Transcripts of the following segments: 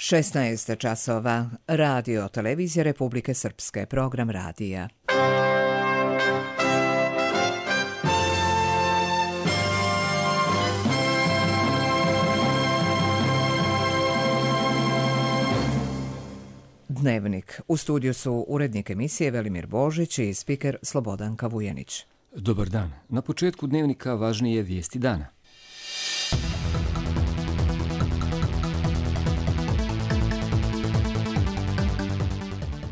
16 časova. Radio Televizija Republike Srpske. Program radija. Dnevnik. U studiju su urednik emisije Velimir Božić i spiker Slobodanka Vujenić. Dobar dan. Na početku dnevnika važnije vijesti dana.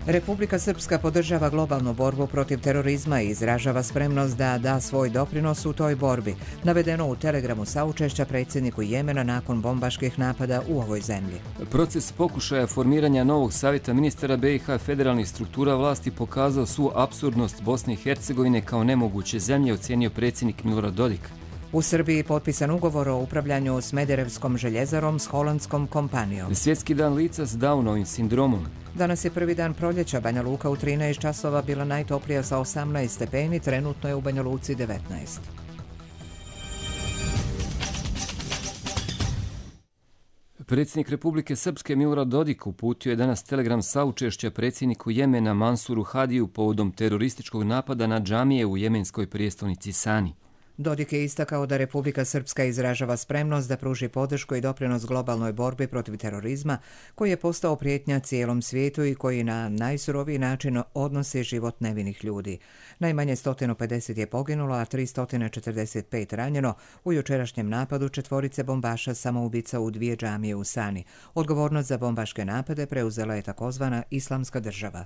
Republika Srpska podržava globalnu borbu protiv terorizma i izražava spremnost da da svoj doprinos u toj borbi, navedeno u telegramu saučešća predsjedniku Jemena nakon bombaških napada u ovoj zemlji. Proces pokušaja formiranja novog savjeta ministara BiH federalnih struktura vlasti pokazao svu apsurdnost Bosne i Hercegovine kao nemoguće zemlje, ocijenio predsjednik Milorad Dodik. U Srbiji potpisan ugovor o upravljanju Smederevskom željezarom s holandskom kompanijom. Svjetski dan lica s Downovim sindromom. Danas je prvi dan proljeća. Banja Luka u 13 časova bila najtoplija sa 18 stepeni, trenutno je u Banja Luci 19. Predsjednik Republike Srpske Milorad Dodik uputio je danas telegram saučešća predsjedniku Jemena Mansuru Hadiju povodom terorističkog napada na džamije u jemenskoj prijestolnici Sani. Dodik je istakao da Republika Srpska izražava spremnost da pruži podršku i doprinos globalnoj borbi protiv terorizma koji je postao prijetnja cijelom svijetu i koji na najsuroviji način odnosi život nevinih ljudi. Najmanje 150 je poginulo, a 345 ranjeno u jučerašnjem napadu 4 bombaša samoubica u 2 džamije u Sani. Odgovornost za bombaške napade preuzela je takozvana Islamska država.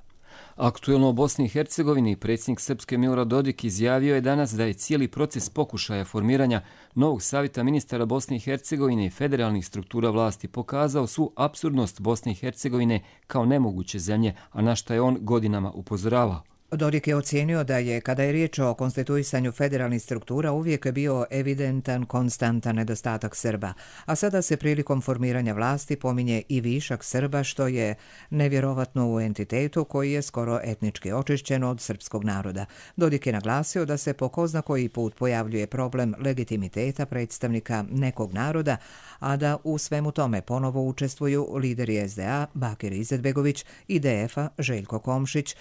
Aktuelno u Bosni i Hercegovini predsjednik Srpske Milorad Dodik izjavio je danas da je cijeli proces pokušaja formiranja novog savjeta ministara Bosne i Hercegovine i federalnih struktura vlasti pokazao svu apsurdnost Bosne i Hercegovine kao nemoguće zemlje, a na što je on godinama upozoravao. Dodik je ocijenio da je, kada je riječ o konstituisanju federalnih struktura, uvijek bio evidentan, konstantan nedostatak Srba, a sada se prilikom formiranja vlasti pominje i višak Srba, što je nevjerovatno u entitetu koji je skoro etnički očišćen od srpskog naroda. Dodik je naglasio da se po ko zna koji put pojavljuje problem legitimiteta predstavnika nekog naroda, a da u svemu tome ponovo učestvuju lideri SDA Bakir Izetbegović i DF-a Željko Komšić,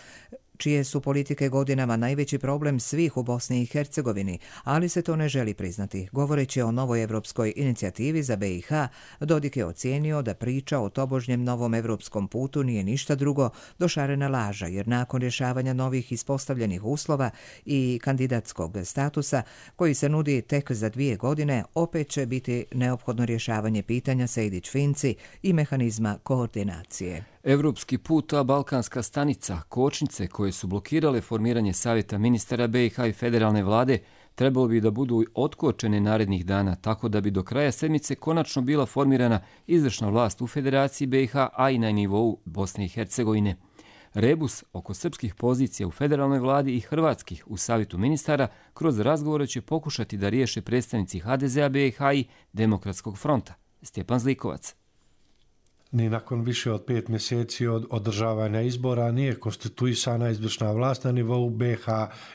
čije su politike godinama najveći problem svih u Bosni i Hercegovini, ali se to ne želi priznati. Govoreći o novoj evropskoj inicijativi za BiH, Dodik je ocijenio da priča o tobožnjem novom evropskom putu nije ništa drugo do šarena laža, jer nakon rješavanja novih ispostavljenih uslova i kandidatskog statusa, koji se nudi tek za 2 godine, opet će biti neophodno rješavanje pitanja Sejdić-Finci i mehanizma koordinacije. Evropski put, a balkanska stanica, kočnice koje su blokirale formiranje savjeta ministara BiH i federalne vlade, trebalo bi da budu otkočene narednih dana, tako da bi do kraja sedmice konačno bila formirana izvršna vlast u Federaciji BiH, a i na nivou Bosne i Hercegovine. Rebus oko srpskih pozicija u federalnoj vladi i hrvatskih u savjetu ministara kroz razgovore će pokušati da riješe predstavnici HDZ-a BiH i Demokratskog fronta. Stjepan Zlikovac. Ni nakon više od 5 mjeseci od održavanja izbora nije konstituisana izvršna vlast na nivou BiH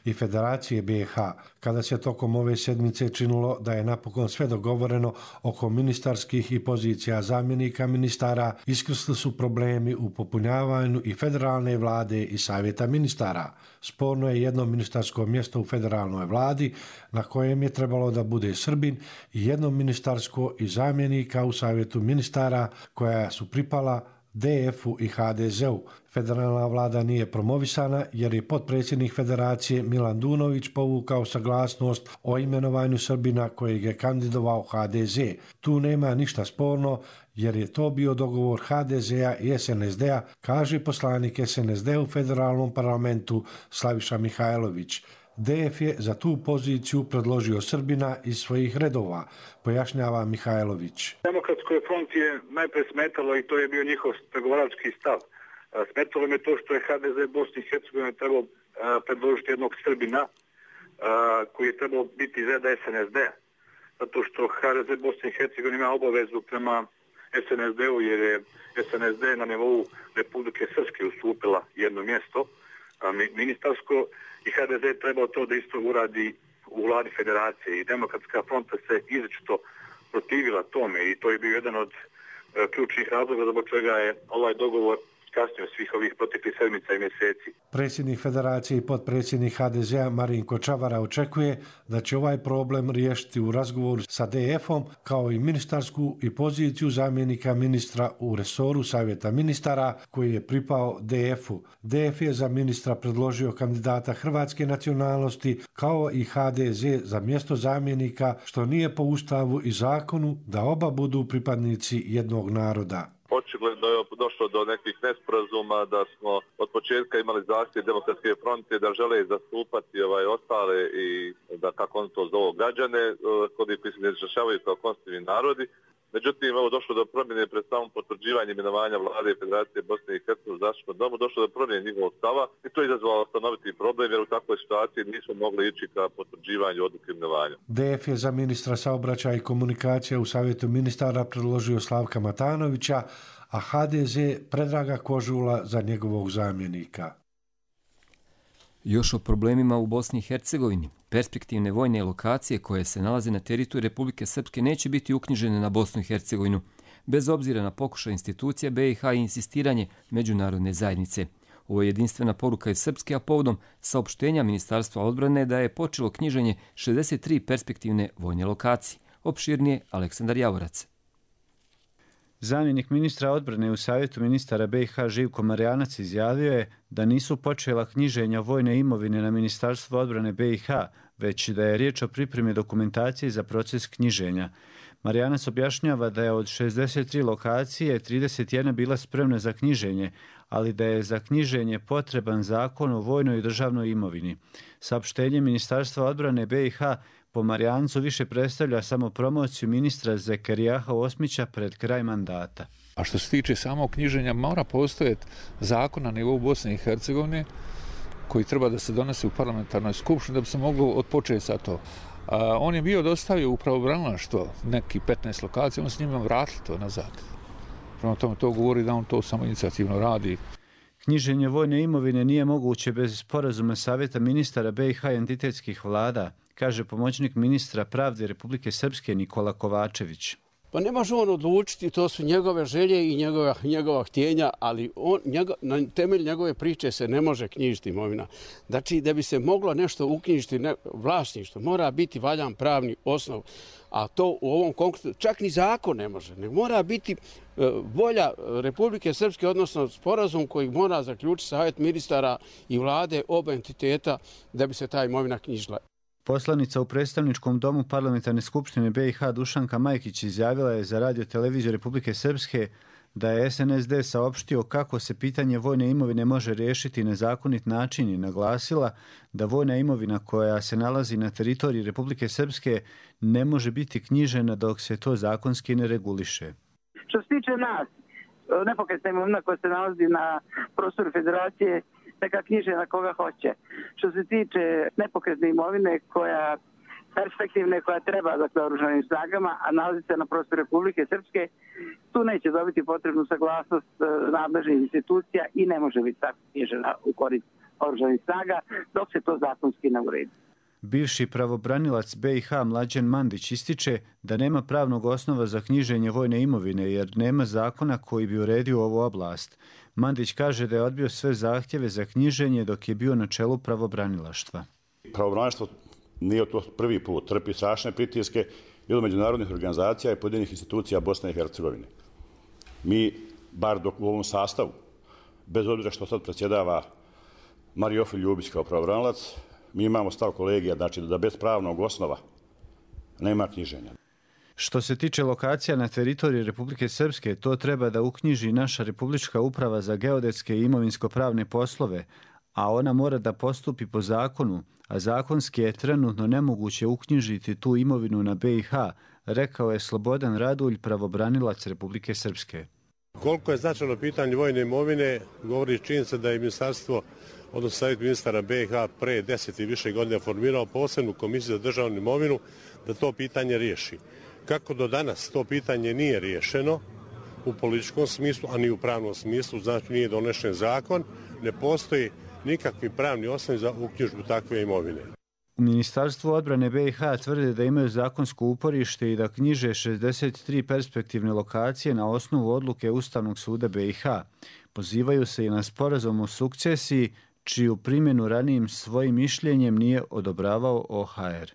i Federacije BiH. Kada se tokom ove sedmice činilo da je napokon sve dogovoreno oko ministarskih i pozicija zamjenika ministara, iskrsli su problemi u popunjavanju i federalne vlade i savjeta ministara. Sporno je jedno ministarsko mjesto u federalnoj vladi na kojem je trebalo da bude Srbin i jedno ministarsko i zamjenika u savjetu ministara koja su pripala DF-u i HDZ-u. Federalna vlada nije promovisana jer je potpredsjednik Federacije Milan Dunović povukao saglasnost o imenovanju Srbina kojeg je kandidovao HDZ. Tu nema ništa sporno jer je to bio dogovor HDZ-a i SNSD-a, kaže poslanik SNSD u federalnom parlamentu Slaviša Mihajlović. DF je za tu poziciju predložio Srbina iz svojih redova, pojašnjava Mihajlović. Demokratskoj fronti je najprije smetalo i to je bio njihov pregovarački stav. Smetalo me to što je HDZ Bosni i Hercegovine trebao predložiti jednog Srbina koji je trebao biti iz reda SNSD-a. Zato što HDZ Bosni i Hercegovine ima obavezu prema SNSD-u jer je SNSD na nivou Republike Srpske ustupila jedno mjesto ministarsko i HDZ trebao to da isto uradi u vladi federacije i Demokratska fronta se izričito protivila tome i to je bio jedan od ključnih razloga zbog čega je ovaj dogovor kasnije svih ovih proteklih sedmica i mjeseci. Predsjednik Federacije i potpredsjednik HDZ-a Marinko Čavara očekuje da će ovaj problem riješiti u razgovoru sa DF-om, kao i ministarsku i poziciju zamjenika ministra u resoru Savjeta ministara koji je pripao DF-u. DF je za ministra predložio kandidata hrvatske nacionalnosti, kao i HDZ za mjesto zamjenika, što nije po Ustavu i zakonu da oba budu pripadnici jednog naroda. Očigledno je došlo do nekih nesporazuma, da smo od početka imali zahtjev Demokratske fronte da žele zastupati ostale i da, kako on to zovu, građane, koji se ne izražavaju kao konstitutivni narodi. Međutim, došlo do promjene pred samom potvrđivanjem imenovanja vlade Federacije Bosne i Hercegovine u zaštitnom domu, došlo do promjene njihovog stava i to je izazvalo stanoviti problem, jer u takvoj situaciji nismo mogli ići ka potvrđivanju odluke imenovanja. DF je za ministra saobraćaja i komunikacija u Savjetu ministara predložio Slavka Matanovića, a HDZ Predraga Kožula za njegovog zamjenika. Još o problemima u Bosni i Hercegovini. Perspektivne vojne lokacije koje se nalaze na teritoriju Republike Srpske neće biti uknjižene na Bosnu i Hercegovinu, bez obzira na pokušaj institucija BiH i insistiranje međunarodne zajednice. Ovo je jedinstvena poruka iz Srpske, a povodom saopštenja Ministarstva odbrane da je počelo knjiženje 63 perspektivne vojne lokacije. Opširnije Aleksandar Javorac. Zamjenik ministra odbrane u Savjetu ministara BiH Živko Marjanac izjavio je da nisu počela knjiženja vojne imovine na Ministarstvo odbrane BiH, već da je riječ o pripremi dokumentacije za proces knjiženja. Marjanac objašnjava da je od 63 lokacije 31 bila spremna za knjiženje, ali da je za knjiženje potreban zakon o vojnoj i državnoj imovini. Saopštenje Ministarstva odbrane BiH po Marjancu više predstavlja samo promociju ministra Zekerijaha Osmića pred kraj mandata. A što se tiče samog knjiženja, mora postojati zakon na nivou Bosne i Hercegovine koji treba da se donese u parlamentarnoj skupštini da bi se moglo odpočeti sa to. On je bio dostavio u pravobranilaštvo neki 15 lokacija, on s njima vratili to nazad. Prema tome to govori da on to samo inicijativno radi. Knjiženje vojne imovine nije moguće bez sporazuma Savjeta ministara BiH i entitetskih vlada, kaže pomoćnik ministra pravde Republike Srpske Nikola Kovačević. Pa ne može on odlučiti, to su njegove želje i njegova htjenja, ali na temelju njegove priče se ne može knjižiti imovina. Znači, da bi se moglo nešto uknjižiti vlasništvo, mora biti valjan pravni osnov, a to u ovom konkretnom čak ni zakon ne može, nego mora biti volja Republike Srpske, odnosno sporazum koji mora zaključiti Savjet ministara i vlade oba entiteta da bi se ta imovina knjižila. Poslanica u predstavničkom domu Parlamentarne skupštine BiH Dušanka Majkić izjavila je za Radio televiziju Republike Srpske da je SNSD saopštio kako se pitanje vojne imovine može riješiti na zakonit način i naglasila da vojna imovina koja se nalazi na teritoriji Republike Srpske ne može biti knjižena dok se to zakonski ne reguliše. Što se tiče nas, nepokretna imovina koja se nalazi na prostoru Federacije, neka knjiže na koga hoće. Što se tiče nepokretne imovine koja perspektivne koja treba dakle oružanim snagama, a nalazi se na prostoru Republike Srpske, tu neće dobiti potrebnu saglasnost nadležnih institucija i ne može biti tako knjižena u korist oružanih snaga dok se to zakonski ne uredi. Bivši pravobranilac BiH Mlađan Mandić ističe da nema pravnog osnova za knjiženje vojne imovine jer nema zakona koji bi uredio ovu oblast. Mandić kaže da je odbio sve zahtjeve za knjiženje dok je bio na čelu pravobranilaštva. Pravobranilaštvo nije to prvi put, trpi strašne pritiske i od međunarodnih organizacija i pojedinih institucija Bosne i Hercegovine. Mi, bar dok u ovom sastavu, bez obzira što sad predsjedava Marijofi Ljubić kao pravobranilac, mi imamo stav kolegija, znači da bez pravnog osnova nema knjiženja. Što se tiče lokacija na teritoriji Republike Srpske, to treba da uknjiži naša Republička uprava za geodetske i imovinsko-pravne poslove, a ona mora da postupi po zakonu, a zakonski je trenutno nemoguće uknjižiti tu imovinu na BiH, rekao je Slobodan Radulj, pravobranilac Republike Srpske. Koliko je značajno pitanje vojne imovine, govori činjenica da je ministarstvo, odnosno Savjet ministara BiH pre 10 i više godina formirao posebnu komisiju za državnu imovinu da to pitanje riješi. Kako do danas to pitanje nije riješeno u političkom smislu, a ni u pravnom smislu, znači nije donešen zakon, ne postoji nikakvi pravni osnovi za uknjižbu takve imovine. U Ministarstvu odbrane BiH tvrde da imaju zakonsko uporište i da knjiže 63 perspektivne lokacije na osnovu odluke Ustavnog suda BiH. Pozivaju se i na sporazum o sukcesiji, čiju primjenu ranijim svojim mišljenjem nije odobravao OHR.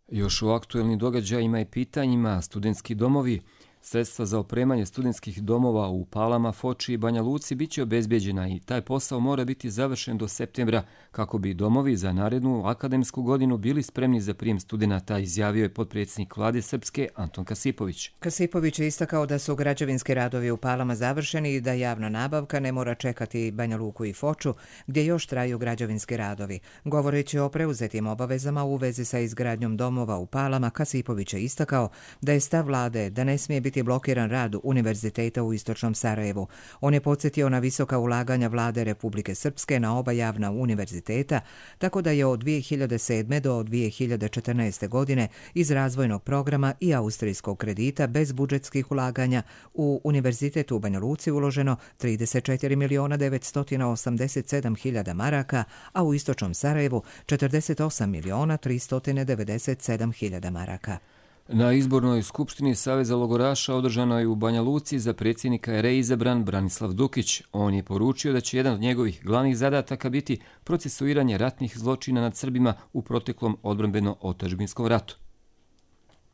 Još u aktuelnim događajima i pitanjima studentski domovi, sredstva za opremanje studentskih domova u Palama, Foči i Banja Luci bit će obezbeđena i taj posao mora biti završen do septembra kako bi domovi za narednu akademsku godinu bili spremni za prijem studenata, izjavio je potpredsjednik Vlade Srpske Anton Kasipović. Kasipović je istakao da su građevinski radovi u Palama završeni i da javna nabavka ne mora čekati Banja Luku i Foču, gdje još traju građevinski radovi. Govoreći o preuzetim obavezama u vezi sa izgradnjom domova u Palama, Kasipović je istakao da je stav Vlade da ne smije biti blokiran rad univerziteta u istočnom Sarajevu. On je podsjetio na visoka ulaganja Vlade Republike Srpske na oba javna univerziteta, tako da je od 2007. do 2014. godine iz razvojnog programa i austrijskog kredita bez budžetskih ulaganja u Univerzitet u Banja Luci uloženo 34.987.000 maraka, a u istočnom Sarajevu 48.397.000 maraka. Na izbornoj skupštini Saveza logoraša održano je u Banja Luci za predsjednika je reizabran Branislav Dukić. On je poručio da će jedan od njegovih glavnih zadataka biti procesuiranje ratnih zločina nad Srbima u proteklom odbrambeno-otadžbinskom ratu.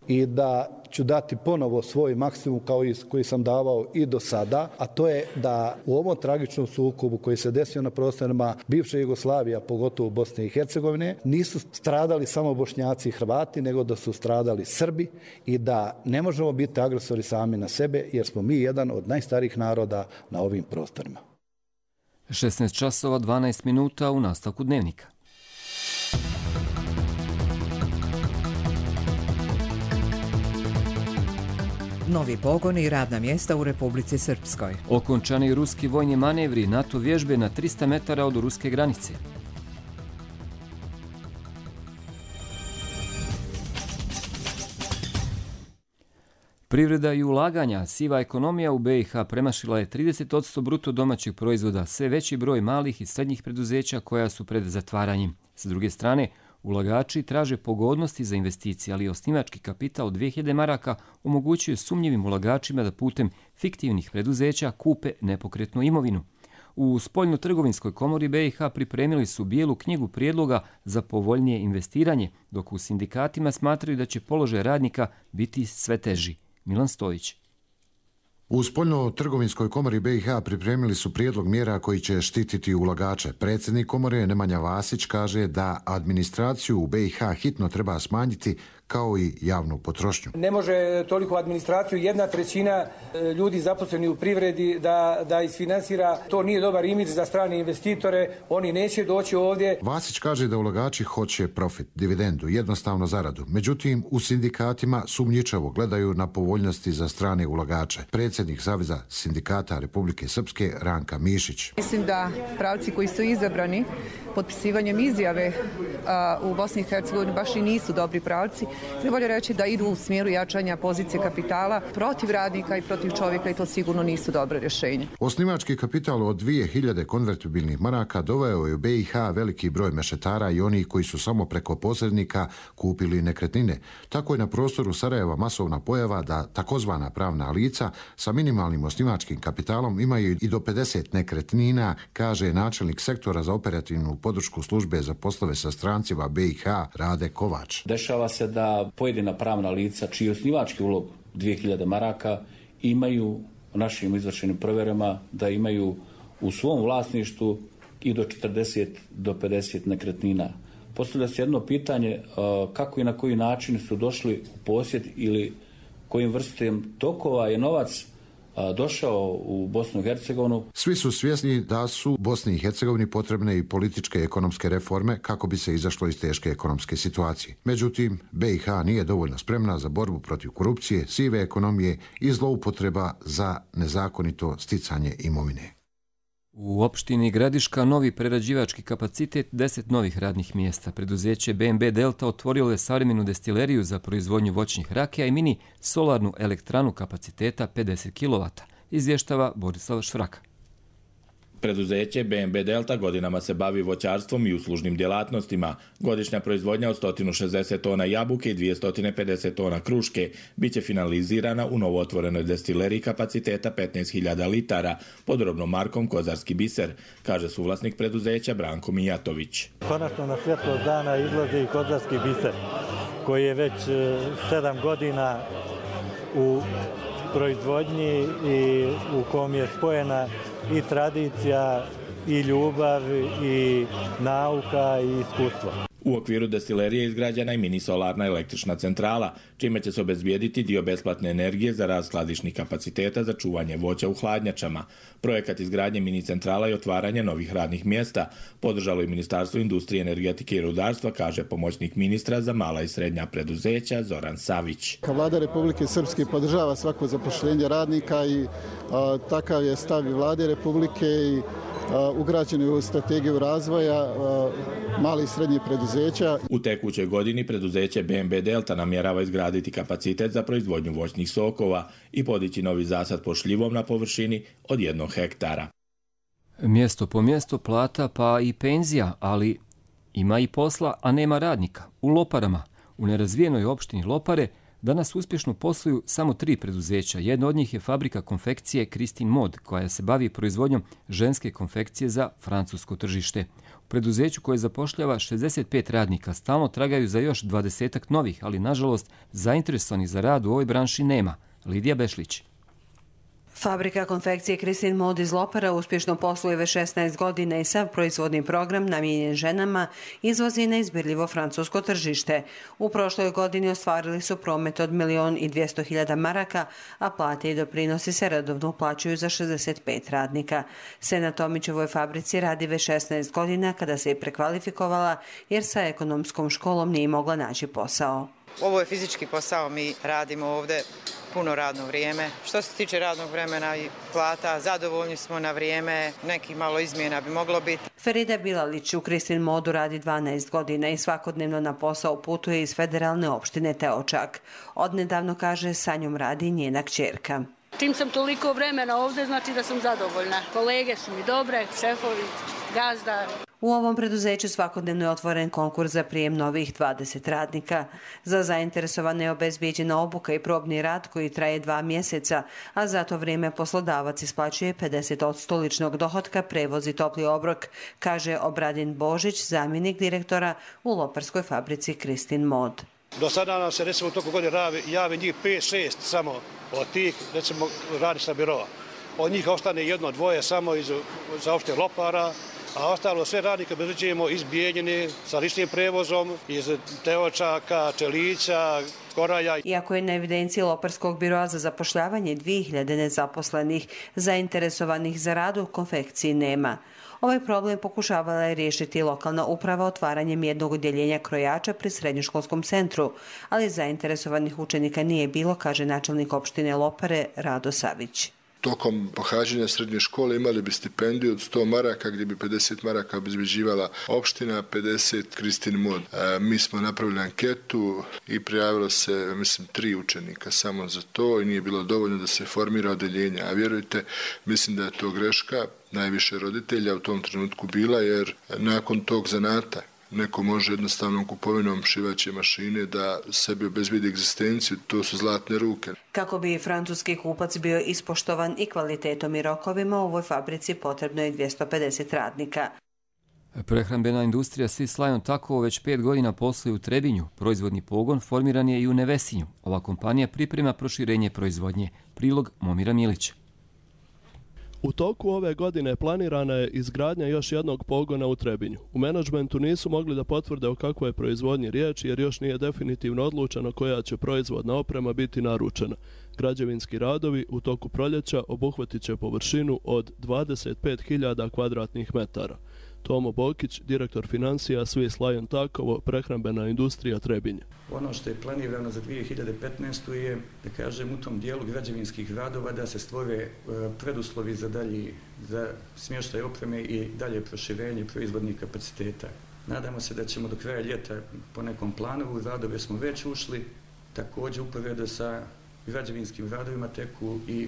I da ću dati ponovo svoj maksimum kao i koji sam davao i do sada, a to je da u ovom tragičnom sukobu koji se desio na prostorima bivše Jugoslavije, a pogotovo Bosne i Hercegovine, nisu stradali samo Bošnjaci i Hrvati, nego da su stradali Srbi i da ne možemo biti agresori sami na sebe, jer smo mi jedan od najstarijih naroda na ovim prostorima. 16 časova 12 minuta u nastavku dnevnika. Novi pogoni i radna mjesta u Republici Srpskoj. Okončani ruski vojni manevri, NATO vježbe na 300 metara od ruske granice. Privreda i ulaganja, siva ekonomija u BiH premašila je 30% bruto domaćeg proizvoda, sve veći broj malih i srednjih preduzeća koja su pred zatvaranjem. S druge strane, ulagači traže pogodnosti za investicije, ali osnivački kapital od 2000 maraka omogućuje sumnjivim ulagačima da putem fiktivnih preduzeća kupe nepokretnu imovinu. U Spoljno-trgovinskoj komori BiH pripremili su bijelu knjigu prijedloga za povoljnije investiranje, dok u sindikatima smatraju da će položaj radnika biti sve teži. Milan Stojić. U Spoljno-trgovinskoj komori BiH pripremili su prijedlog mjera koji će štititi ulagače. Predsjednik komore Nemanja Vasić kaže da administraciju u BiH hitno treba smanjiti kao i javnu potrošnju. Ne može toliko administraciju 1/3 ljudi zaposleni u privredi da isfinansira. To nije dobar imidž za strane investitore, oni neće doći ovdje. Vasić kaže da ulagači hoće profit, dividendu, jednostavno zaradu. Međutim, u sindikatima sumnjičavo gledaju na povoljnosti za strane ulagače. Predsjednik Saveza sindikata Republike Srpske Ranka Mišić. Mislim da pravci koji su izabrani potpisivanjem izjave u Bosni i Hercegovini baš i nisu dobri pravci. Treba reći da idu u smjeru jačanja pozicije kapitala protiv radnika i protiv čovjeka i to sigurno nisu dobre rješenje. Osnivački kapital od 2000 konvertibilnih maraka doveo je u BiH veliki broj mešetara i onih koji su samo preko posrednika kupili nekretnine. Tako je na prostoru Sarajeva masovna pojava da takozvana pravna lica sa minimalnim osnivačkim kapitalom imaju i do 50 nekretnina, kaže načelnik sektora za operativnu podršku službe za poslove sa strancima BiH Rade Kovač. Dešava se da pojedina pravna lica čiji osnivački ulog 2000 maraka imaju u našim izvršenim provjerama da imaju u svom vlasništvu i do 40 do 50 nekretnina. Postavlja se jedno pitanje kako i na koji način su došli u posjed ili kojim vrstom tokova je novac došao u Bosnu i Hercegovinu. Svi su svjesni da su Bosni i Hercegovini potrebne i političke i ekonomske reforme kako bi se izašlo iz teške ekonomske situacije. Međutim, BiH nije dovoljno spremna za borbu protiv korupcije, sive ekonomije i zloupotreba za nezakonito sticanje imovine. U opštini Gradiška novi prerađivački kapacitet, 10 novih radnih mjesta. Preduzeće BNB Delta otvorilo je savremenu destileriju za proizvodnju voćnih rakija i mini solarnu elektranu kapaciteta 50 kW, izvještava Borislav Švraka. Preduzeće BNB Delta godinama se bavi voćarstvom i uslužnim djelatnostima. Godišnja proizvodnja od 160 tona jabuke i 250 tona kruške biće finalizirana u novootvorenoj destileriji kapaciteta 15.000 litara pod robnom markom Kozarski biser, kaže suvlasnik preduzeća Branko Mijatović. Konačno na svjetlost dana izlazi Kozarski biser, koji je već 7 godina u proizvodnji i u kom je spojena i tradicija, i ljubav, i nauka, i iskustvo. U okviru destilerije izgrađena i mini solarna električna centrala, čime će se obezbijediti dio besplatne energije za rad skladišnih kapaciteta za čuvanje voća u hladnjačama. Projekat izgradnje mini centrala i otvaranje novih radnih mjesta podržalo i Ministarstvo industrije, energetike i rudarstva, kaže pomoćnik ministra za mala i srednja preduzeća Zoran Savić. Vlada Republike Srpske podržava svako zapošljenje radnika i takav je stav i Vlade Republike i ugrađeni u strategiju razvoja malih i srednjih preduzeća. U tekućoj godini preduzeće BNB Delta namjerava izgraditi kapacitet za proizvodnju voćnih sokova i podići novi zasad pod šljivom na površini od 1 hektara. Mjesto po mjesto plata pa i penzija, ali ima i posla, a nema radnika. U Loparama, u nerazvijenoj opštini Lopare, danas uspješno posluju samo 3 preduzeća. Jedno od njih je fabrika konfekcije Kristin Mod, koja se bavi proizvodnjom ženske konfekcije za francusko tržište. U preduzeću koje zapošljava 65 radnika stalno tragaju za još 20 novih, ali nažalost zainteresovanih za rad u ovoj branši nema. Lidija Bešlić. Fabrika konfekcije Kristin Mod iz Lopara uspješno posluje već 16 godina i sav proizvodni program namijenjen ženama izvozi na izbirljivo francusko tržište. U prošloj godini ostvarili su promet od 1.200.000 maraka, a plate i doprinosi se redovno uplaćuju za 65 radnika. Sena Tomić u ovoj fabrici radi već 16 godina kada se je prekvalifikovala jer sa ekonomskom školom nije mogla naći posao. Ovo je fizički posao, mi radimo ovdje puno radno vrijeme. Što se tiče radnog vremena i plata, zadovoljni smo na vrijeme, neki malo izmjena bi moglo biti. Ferida Bilalić u Kristin Modu radi 12 godina i svakodnevno na posao putuje iz federalne opštine Teočak. Odnedavno, kaže, sa njom radi njena kćerka. Čim sam toliko vremena ovdje, znači da sam zadovoljna. Kolege su mi dobre, šefovi, gazda. U ovom preduzeću svakodnevno je otvoren konkurs za prijem novih 20 radnika. Za zainteresovane je obezbijeđena obuka i probni rad koji traje 2 mjeseca, a za to vrijeme poslodavac isplaćuje 50% ličnog dohotka, prevoz i topli obrok, kaže Obradin Božić, zamjenik direktora u loparskoj fabrici Kristin Mod. Do sada nam se recimo u toku godine javi njih 5-6 samo od tih, recimo radi sa birova. Od njih ostane 1-2 samo za opšte Lopara, a ostalo sve radnike obezbeđujemo iz Bijeljine sa ličnim prevozom, iz Teočaka, Čelića, Koraja. Iako je na evidenciji Loparskog biroa za zapošljavanje 2000 nezaposlenih, zainteresovanih za rad u konfekciji nema. Ovaj problem pokušavala je riješiti lokalna uprava otvaranjem jednog odjeljenja krojača pri srednjoškolskom centru, ali zainteresovanih učenika nije bilo, kaže načelnik opštine Lopare Rado Savić. Tokom pohađanja srednje škole imali bi stipendiju od 100 maraka gdje bi 50 maraka obezbeđivala opština, 50 Kristin Mod. Mi smo napravili anketu i prijavilo se, mislim, 3 učenika samo za to i nije bilo dovoljno da se formira odeljenje. A vjerujte, mislim da je to greška najviše roditelja u tom trenutku bila, jer nakon tog zanata neko može jednostavnom kupovinom šivaće mašine da sebi obezbedi egzistenciju, to su zlatne ruke. Kako bi francuski kupac bio ispoštovan i kvalitetom i rokovima, u ovoj fabrici potrebno je 250 radnika. Prehrambena industrija Swiss Lion Takovo već 5 godina posluje u Trebinju. Proizvodni pogon formiran je i u Nevesinju. Ova kompanija priprema proširenje proizvodnje. Prilog Momira Milića. U toku ove godine planirana je izgradnja još jednog pogona u Trebinju. U menadžmentu nisu mogli da potvrde o kakvoj je proizvodnji riječ jer još nije definitivno odlučeno koja će proizvodna oprema biti naručena. Građevinski radovi u toku proljeća obuhvatit će površinu od 25.000 kvadratnih metara. Tomo Bokić, direktor financija Swiss Lion Takovo, prehrambena industrija Trebinje. Ono što je planirano za 2015. je, da kažem, u tom dijelu građevinskih radova da se stvore preduslovi za smještaj opreme i dalje proširenje proizvodnih kapaciteta. Nadamo se da ćemo do kraja ljeta po nekom planu, u radove smo već ušli, također uporedo sa građevinskim radovima teku i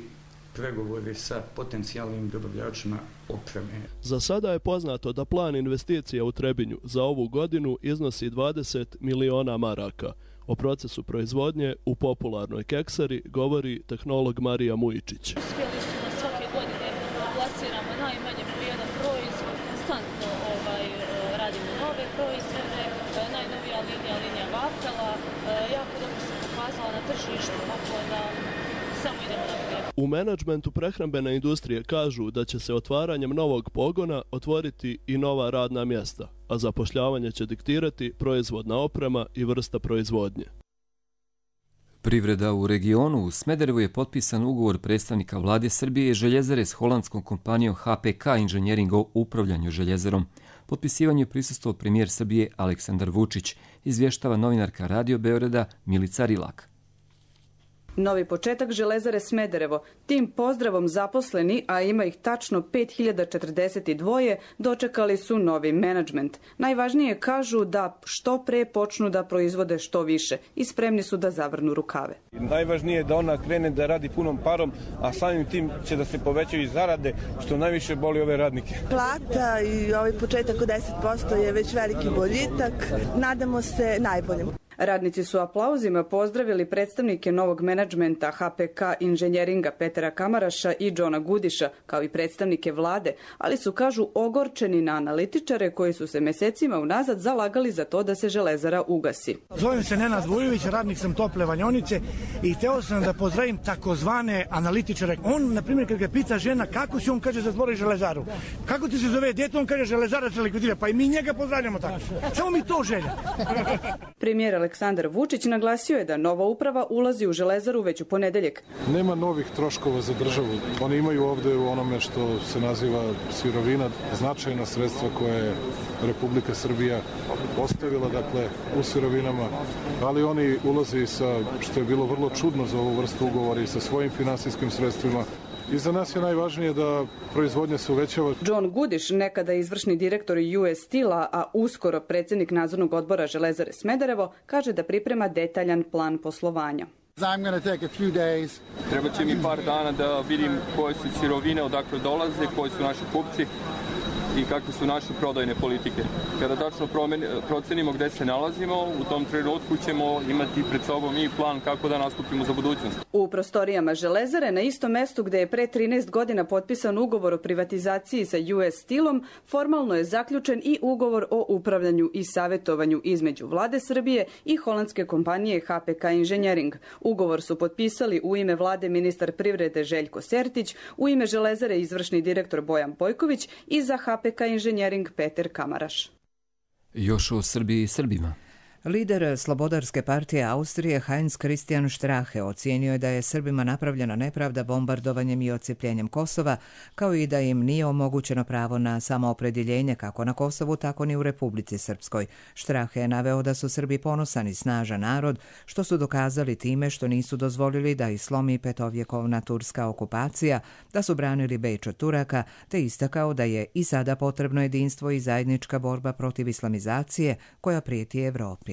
pregovori sa potencijalnim dobavljačima opreme. Za sada je poznato da plan investicija u Trebinju za ovu godinu iznosi 20 miliona maraka. O procesu proizvodnje u popularnoj keksari govori tehnolog Marija Mujičić. Uspjeli su na svake godine plasiramo najmanje po jedan proizvod, konstantno radimo nove proizvode, najnovija linija vafela, jako dobro se pokazala na tržištu, tako da samo idemo naprijed. U menadžmentu prehrambene industrije kažu da će se otvaranjem novog pogona otvoriti i nova radna mjesta, a zapošljavanje će diktirati proizvodna oprema i vrsta proizvodnje. Privreda u regionu. U Smederevu je potpisan ugovor predstavnika vlade Srbije i Željezare s holandskom kompanijom HPK Inženjering o upravljanju željezarom. Potpisivanju je prisustvovao premijer Srbije Aleksandar Vučić, izvještava novinarka Radio Beograda Milica Rilak. Novi početak Železare Smederevo. Tim pozdravom zaposleni, a ima ih tačno 5042, dočekali su novi menadžment. Najvažnije kažu da što pre počnu da proizvode što više i spremni su da zavrnu rukave. Najvažnije je da ona krene da radi punom parom, a samim tim će da se povećaju i zarade, što najviše boli ove radnike. Plata i ovaj početak od 10% je već veliki boljitak. Nadamo se najboljem. Radnici su aplauzima pozdravili predstavnike novog menadžmenta HPK Inženjeringa Petera Kamaraša i Johna Gudiša, kao i predstavnike vlade, ali su, kažu, ogorčeni na analitičare koji su se mesecima unazad zalagali za to da se železara ugasi. Zovem se Nenad Vujović, radnik sam Tople Vanjonice i hteo sam da pozdravim takozvane analitičare. On, na primjer, kad ga pita žena kako si, on kaže zatvori železaru. Kako ti se zove dete, on kaže železara se likvidira, pa i mi njega pozdravljamo tako. Samo mi to želja. Premijer Aleksandar Vučić naglasio je da nova uprava ulazi u železaru već u ponedeljak. Nema novih troškova za državu. Oni imaju ovde u onome što se naziva sirovina značajna sredstva koje je Republika Srbija ostavila, dakle, u sirovinama, ali oni ulaze i sa, što je bilo vrlo čudno za ovu vrstu ugovora, i sa svojim finansijskim sredstvima. I za nas je najvažnije da proizvodnja se uvećava. John Gudiš, nekada izvršni direktor US Steel-a, a uskoro predsjednik nadzornog odbora Železare Smederevo, kaže da priprema detaljan plan poslovanja. Treba će mi par dana da vidim koje su sirovine, odakle dolaze, koji su naši kupci i kakve su naše prodajne politike. Kada tačno procenimo gde se nalazimo, u tom trenutku ćemo imati pred sobom i plan kako da nastupimo za budućnost. U prostorijama Železare, na istom mestu gde je pre 13 godina potpisan ugovor o privatizaciji sa US Steel-om, formalno je zaključen i ugovor o upravljanju i savjetovanju između vlade Srbije i holandske kompanije HPK Inženjering. Ugovor su potpisali u ime vlade ministar privrede Željko Sertić, u ime Železare izvršni direktor Bojan Bojković i za HPK Inženjering Peter Kamaraš. Još o Srbiji i Srbima. Lider Slobodarske partije Austrije Heinz Christian Strache ocijenio je da je Srbima napravljena nepravda bombardovanjem i odcijepljenjem Kosova, kao i da im nije omogućeno pravo na samoopredjeljenje kako na Kosovu, tako ni u Republici Srpskoj. Strache je naveo da su Srbi ponosan i snažan narod, što su dokazali time što nisu dozvolili da ih slomi petovjekovna turska okupacija, da su branili Beč od Turaka, te istakao da je i sada potrebno jedinstvo i zajednička borba protiv islamizacije koja prijeti Evropi.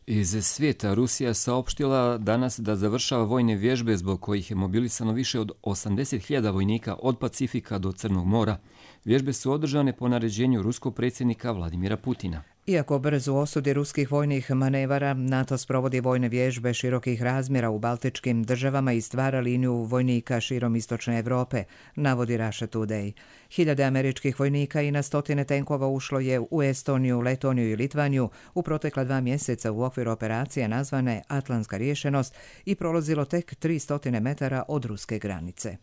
Iz svijeta Rusija saopštila danas da završava vojne vježbe zbog kojih je mobilisano više od 80.000 vojnika od Pacifika do Crnog mora. Vježbe su održane po naređenju ruskog predsjednika Vladimira Putina. Iako brzo osudi ruskih vojnih manevara, NATO sprovodi vojne vježbe širokih razmjera u baltičkim državama i stvara liniju vojnika širom istočne Evrope, navodi Russia Today. 1000 američkih vojnika i na stotine tenkova ušlo je u Estoniju, Letoniju i Litvaniju u protekla 2 mjeseca u okviru operacije nazvane Atlantska rješenost i prolazilo tek 300 metara od ruske granice.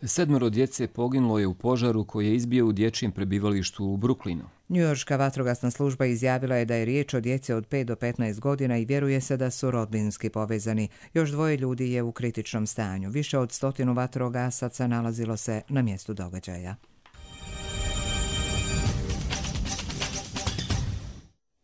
7 djece poginulo je u požaru koji je izbio u dječjem prebivalištu u Brooklynu. Njujorška vatrogasna služba izjavila je da je riječ o djeci od 5 do 15 godina i vjeruje se da su rodbinski povezani. Još 2 ljudi je u kritičnom stanju. Više od 100 vatrogasaca nalazilo se na mjestu događaja.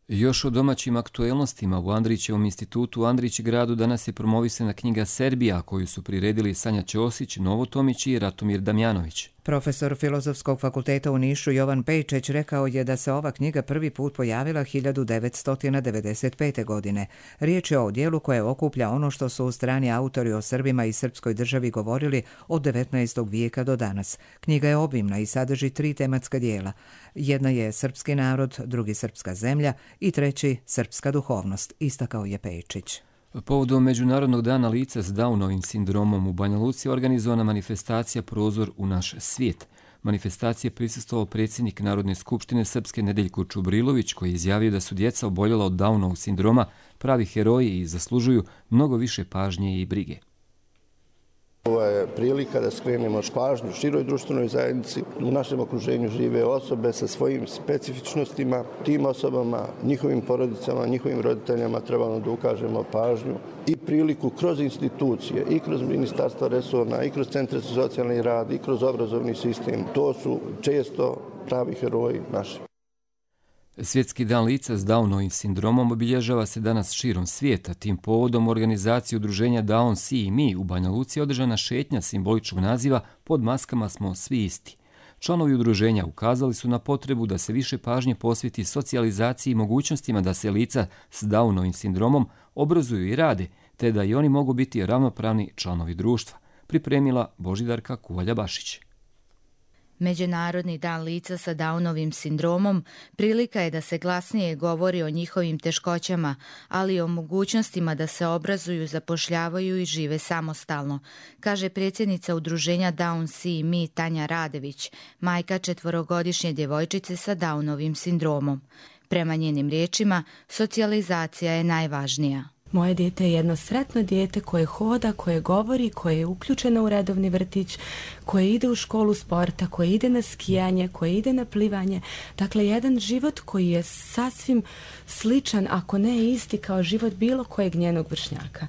Još o domaćim aktuelnostima u Andrićevom institutu u Andrićgradu danas je promovisana knjiga Serbija koju su priredili Sanja Ćosić, Novo Tomić i Ratomir Damjanović. Profesor Filozofskog fakulteta u Nišu Jovan Pejčeć rekao je da se ova knjiga prvi put pojavila 1995. godine. Riječ je o dijelu koje okuplja ono što su strani autori o Srbima i srpskoj državi govorili od 19. vijeka do danas. Knjiga je obimna i sadrži 3 tematska dijela. Jedna je srpski narod, drugi srpska zemlja i treći srpska duhovnost, istakao je Pejčić. Povodom Međunarodnog dana lica s Downovim sindromom u Banja Luci organizovana manifestacija Prozor u naš svijet. Manifestacije prisustvovao predsjednik Narodne skupštine Srpske Nedeljko Čubrilović, koji je izjavio da su djeca oboljela od Downovog sindroma pravi heroji i zaslužuju mnogo više pažnje i brige. Ovo je prilika da skrenemo pažnju široj društvenoj zajednici. U našem okruženju žive osobe sa svojim specifičnostima. Tim osobama, njihovim porodicama, njihovim roditeljama trebamo da ukažemo pažnju i priliku kroz institucije, i kroz ministarstva resorna, i kroz centre za socijalni rad, i kroz obrazovni sistem. To su često pravi heroji naši. Svjetski dan lica s Downovim sindromom obilježava se danas širom svijeta. Tim povodom organizacije udruženja Down Si i mi u Banja Luci održana šetnja simboličnog naziva Pod maskama smo svi isti. Članovi udruženja ukazali su na potrebu da se više pažnje posveti socijalizaciji i mogućnostima da se lica s Downovim sindromom obrazuju i rade, te da i oni mogu biti ravnopravni članovi društva, pripremila Božidarka Kuvalja-Bašić. Međunarodni dan lica sa Downovim sindromom prilika je da se glasnije govori o njihovim teškoćama, ali i o mogućnostima da se obrazuju, zapošljavaju i žive samostalno, kaže predsjednica udruženja Down Si i mi Tanja Radević, majka 4-godišnje djevojčice sa Downovim sindromom. Prema njenim riječima, socijalizacija je najvažnija. Moje dijete je jedno sretno dijete koje hoda, koje govori, koje je uključeno u redovni vrtić, koje ide u školu sporta, koje ide na skijanje, koje ide na plivanje. Dakle, jedan život koji je sasvim sličan, ako ne isti, kao život bilo kojeg njenog vršnjaka.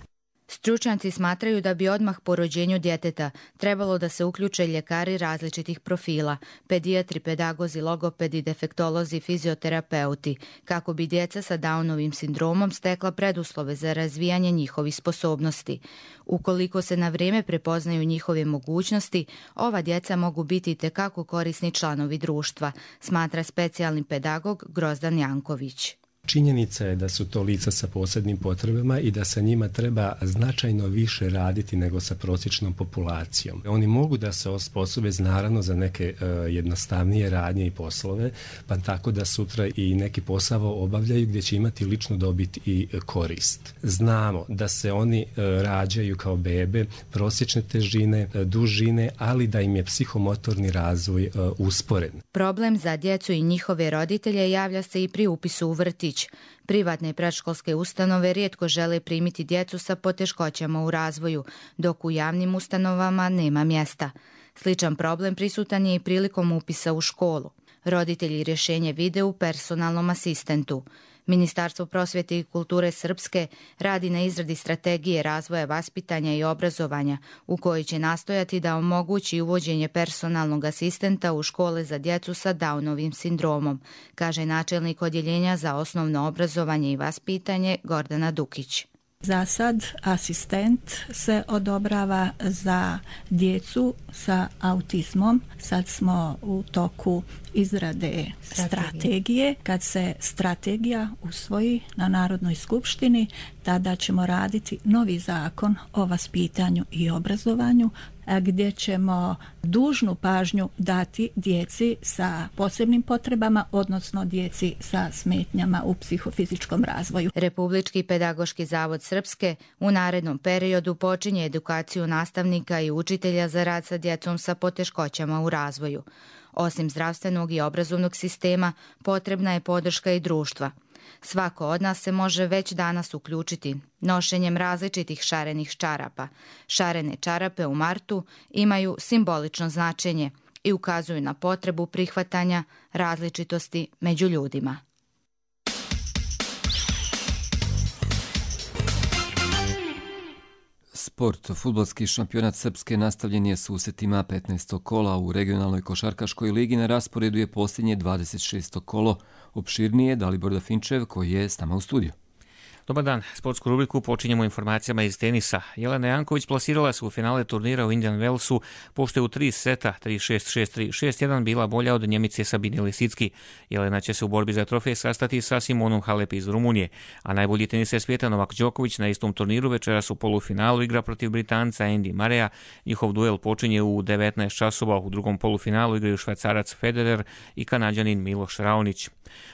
Stručnjaci smatraju da bi odmah po rođenju djeteta trebalo da se uključe ljekari različitih profila, pedijatri, pedagozi, logopedi, defektolozi, fizioterapeuti, kako bi djeca sa Downovim sindromom stekla preduslove za razvijanje njihovih sposobnosti. Ukoliko se na vrijeme prepoznaju njihove mogućnosti, ova djeca mogu biti itekako korisni članovi društva, smatra specijalni pedagog Grozdan Janković. Činjenica je da su to lica sa posebnim potrebama i da sa njima treba značajno više raditi nego sa prosječnom populacijom. Oni mogu da se osposobe naravno za neke jednostavnije radnje i poslove, pa tako da sutra i neki posao obavljaju gdje će imati ličnu dobit i korist. Znamo da se oni rađaju kao bebe, prosječne težine, dužine, ali da im je psihomotorni razvoj usporen. Problem za djecu i njihove roditelje javlja se i pri upisu u vrtić. Privatne i predškolske ustanove rijetko žele primiti djecu sa poteškoćama u razvoju, dok u javnim ustanovama nema mjesta. Sličan problem prisutan je i prilikom upisa u školu. Roditelji rješenje vide u personalnom asistentu. Ministarstvo prosvjete i kulture Srpske radi na izradi strategije razvoja vaspitanja i obrazovanja, u kojoj će nastojati da omogući uvođenje personalnog asistenta u škole za djecu sa Downovim sindromom, kaže načelnik odjeljenja za osnovno obrazovanje i vaspitanje Gordana Dukić. Za sad asistent se odobrava za djecu sa autizmom. Sad smo u toku izrade strategije. Kad se strategija usvoji na Narodnoj skupštini, tada ćemo raditi novi zakon o vaspitanju i obrazovanju, gdje ćemo dužnu pažnju dati djeci sa posebnim potrebama, odnosno djeci sa smetnjama u psihofizičkom razvoju. Republički pedagoški zavod Srpske u narednom periodu počinje edukaciju nastavnika i učitelja za rad sa djecom sa poteškoćama u razvoju. Osim zdravstvenog i obrazovnog sistema, potrebna je podrška i društva. Svako od nas se može već danas uključiti nošenjem različitih šarenih čarapa. Šarene čarape u martu imaju simbolično značenje i ukazuju na potrebu prihvatanja različitosti među ljudima. Sport. Fudbalski šampionat Srpske nastavljen je susretima 15. kola u regionalnoj košarkaškoj ligi. Na rasporedu je posljednje 26. kolo. Opširnije Dalibor Dafinčev koji je s nama u studiju. Dobar dan, sportsku rubriku počinjemo informacijama iz tenisa. Jelena Janković plasirala se u finale turnira u Indian Wellsu, pošto je u 3 seta 3-6, 6-3, 6-1 bila bolja od Njemice Sabine Lisicki. Jelena će se u borbi za trofej sastati sa Simonom Halep iz Rumunije, a najbolji teniser svijeta Novak Đoković na istom turniru večeras u polufinalu igra protiv Britanca Andy Murraya. Njihov duel počinje u 19 časova, u drugom polufinalu igraju Švajcarac Federer i Kanađanin Miloš Raonić.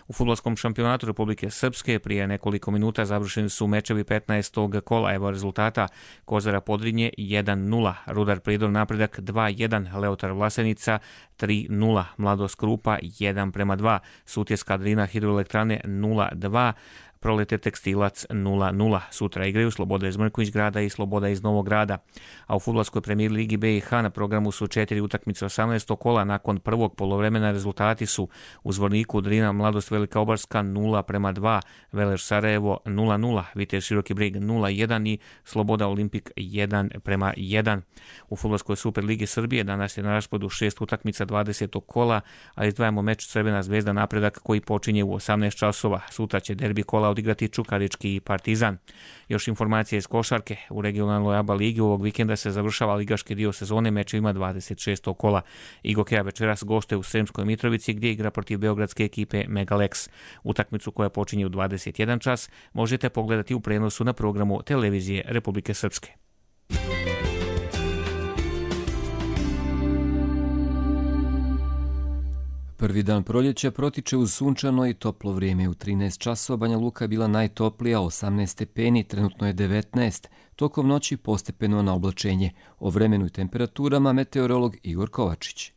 U fudbalskom šampionatu Republike Srpske prije nekoliko minuta završeni su mečevi 15. kola. Evo rezultata: Kozara Podrinje 1-0, Rudar Prijedor Napredak 2-1, Leotar Vlasenica 3-0, Mladost Krupa 1-2, Sutjeska Drina Hidroelektrane 0-2, Proleter Tekstilac 0-0. Sutra igraju Sloboda iz Mrković Grada i Sloboda iz Novog Grada. A u fudbalskoj premijer ligi BiH na programu su 4 utakmice 18. kola. Nakon prvog poluvremena rezultati su: u Zvorniku Drina Mladost Velika Obarska 0-2, Veler Sarajevo 0-0, Vitez Široki Brijeg 0-1 i Sloboda Olimpik 1-1. U fudbalskoj Superligi Srbije danas je na rasporedu 6 utakmica 20. kola, a izdvajamo meč Crvena zvezda Napredak koji počinje u 18 časova. Sutra će derbi kola odigrati Čukarički i Partizan. Još informacije iz košarke. U regionalnoj ABA ligi ovog vikenda se završava ligaški dio sezone mečevima 26. kola. Igokeja večeras gostuje u Sremskoj Mitrovici gdje igra protiv beogradske ekipe Megalex. Utakmicu koja počinje u 21 čas možete pogledati u prenosu na programu Televizije Republike Srpske. Prvi dan proljeća protiče uz sunčano i toplo vrijeme. U 13 časova Banja Luka je bila najtoplija, 18 stepeni, trenutno je 19. Tokom noći postepeno na oblačenje. O vremenu i temperaturama meteorolog Igor Kovačić.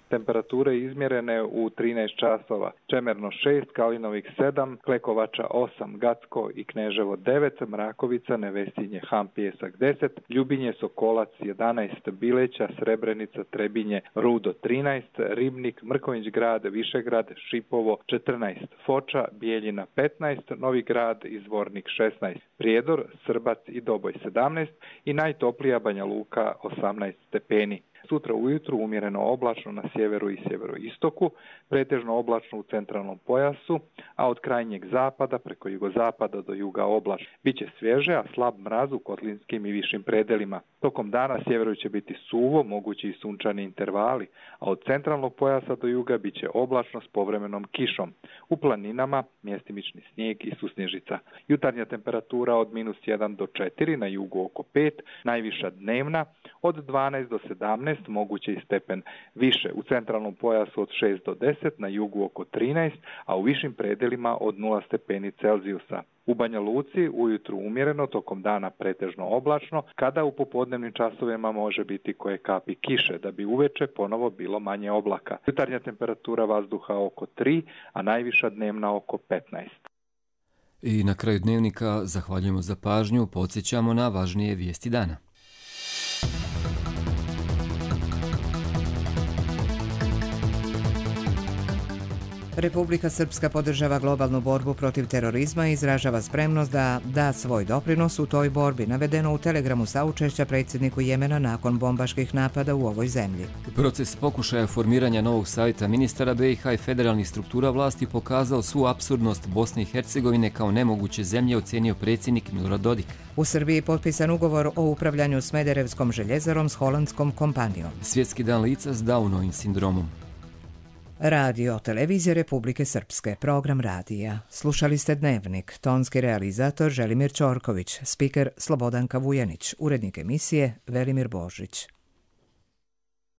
Temperature izmjerene u 13 časova. Čemerno 6, Kalinovik 7, Klekovača 8, Gacko i Kneževo 9, Mrakovica, Nevesinje, Han, Pijesak 10, Ljubinje, Sokolac 11, Bileća, Srebrenica, Trebinje, Rudo 13, Ribnik, Mrković Grad, Višegrad, Šipovo 14, Foča, Bijeljina 15, Novi Grad i Zvornik 16, Prijedor, Srbac i Doboj 17 i najtoplija Banja Luka 18 stepeni. Sutra ujutru umjereno oblačno na sjeveru i sjeveroistoku, pretežno oblačno u centralnom pojasu, a od krajnjeg zapada preko jugozapada do juga oblačno. Biće svježe, a slab mraz u kotlinskim i višim predelima. Tokom dana sjeveru će biti suvo, mogući i sunčani intervali, a od centralnog pojasa do juga biće oblačno s povremenom kišom. U planinama mjestimični snijeg i susnježica. Jutarnja temperatura od -1 do 4, na jugu oko 5, najviša dnevna od 12 do 17, moguće i stepen više. U centralnom pojasu od 6 do 10, na jugu oko 13, a u višim predelima od 0 stepeni Celzijusa. U Banja Luci ujutru umjereno, tokom dana pretežno oblačno, kada u popodnevnim časovima može biti koje kapi kiše, da bi uveče ponovo bilo manje oblaka. Jutarnja temperatura vazduha oko 3, a najviša dnevna oko 15. I na kraju dnevnika zahvaljujemo za pažnju, podsjećamo na važnije vijesti dana. Republika Srpska podržava globalnu borbu protiv terorizma i izražava spremnost da da svoj doprinos u toj borbi, navedeno u telegramu saučešća predsjedniku Jemena nakon bombaških napada u ovoj zemlji. Proces pokušaja formiranja novog savjeta ministara BiH i federalnih struktura vlasti pokazao svu apsurdnost Bosne i Hercegovine kao nemoguće zemlje, ocenio predsjednik Milorad Dodik. U Srbiji potpisan ugovor o upravljanju Smederevskom željezarom s holandskom kompanijom. Svjetski dan lica s Downovim sindromom. Radio Televizije Republike Srpske, program radija. Slušali ste Dnevnik, tonski realizator Želimir Ćorković, spiker Slobodanka Vujanić, urednik emisije Velimir Božić.